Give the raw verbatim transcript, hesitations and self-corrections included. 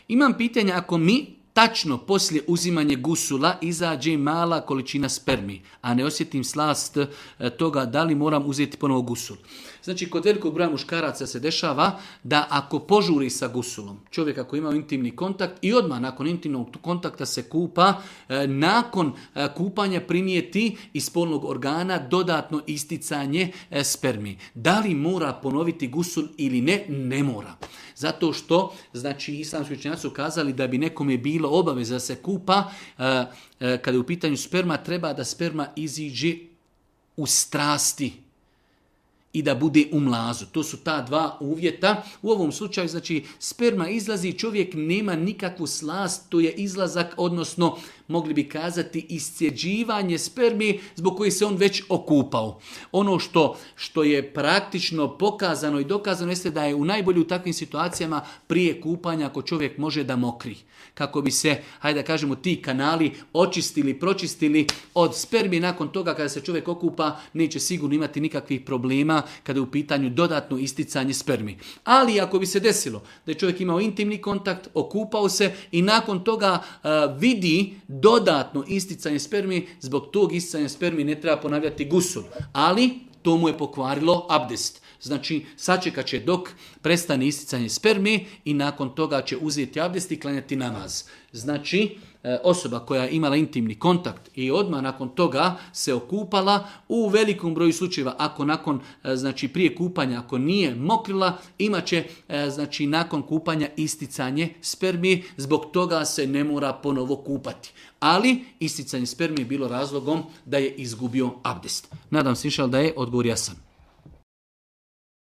Imam pitanje, ako mi tačno poslije uzimanja gusula izađe mala količina spermi, a ne osjetim slast toga da li moram uzeti ponovo gusul. Znači, kod velikog broja muškaraca se dešava da ako požuri sa gusulom, čovjek ako ima intimni kontakt i odmah nakon intimnog kontakta se kupa, nakon kupanja primijeti iz spolnog organa dodatno isticanje spermi. Da li mora ponoviti gusul ili ne? Ne mora. Zato što, znači, islamski učenjaci su kazali da bi nekome bilo obaveza da se kupa, kada je u pitanju sperma, treba da sperma iziđe u strasti i da bude u mlazu. To su ta dva uvjeta. U ovom slučaju, znači, sperma izlazi, čovjek nema nikakvu slast, to je izlazak, odnosno, mogli bi kazati, iscjeđivanje spermi zbog koje se on već okupao. Ono što, što je praktično pokazano i dokazano jeste da je u najbolje u takvim situacijama prije kupanja ako čovjek može da mokri. Kako bi se, hajde da kažemo, ti kanali očistili, pročistili od spermi. Nakon toga kada se čovjek okupa neće sigurno imati nikakvih problema kada je u pitanju dodatno isticanje spermi. Ali ako bi se desilo da je čovjek imao intimni kontakt, okupao se i nakon toga uh, vidi dodatno isticanje spermi, zbog tog isticanja spermi ne treba ponavljati gusul. Ali to mu je pokvarilo abdest. Znači, sačekat će dok prestane isticanje spermi i nakon toga će uzeti abdest i klanjati namaz. Znači, osoba koja je imala intimni kontakt i odmah nakon toga se okupala, u velikom broju slučajeva, ako nakon, znači prije kupanja, ako nije mokrila, imat će, znači, nakon kupanja isticanje spermi, zbog toga se ne mora ponovo kupati. Ali isticanje spermi je bilo razlogom da je izgubio abdest. Nadam se, inšal, da je odgovor jasan.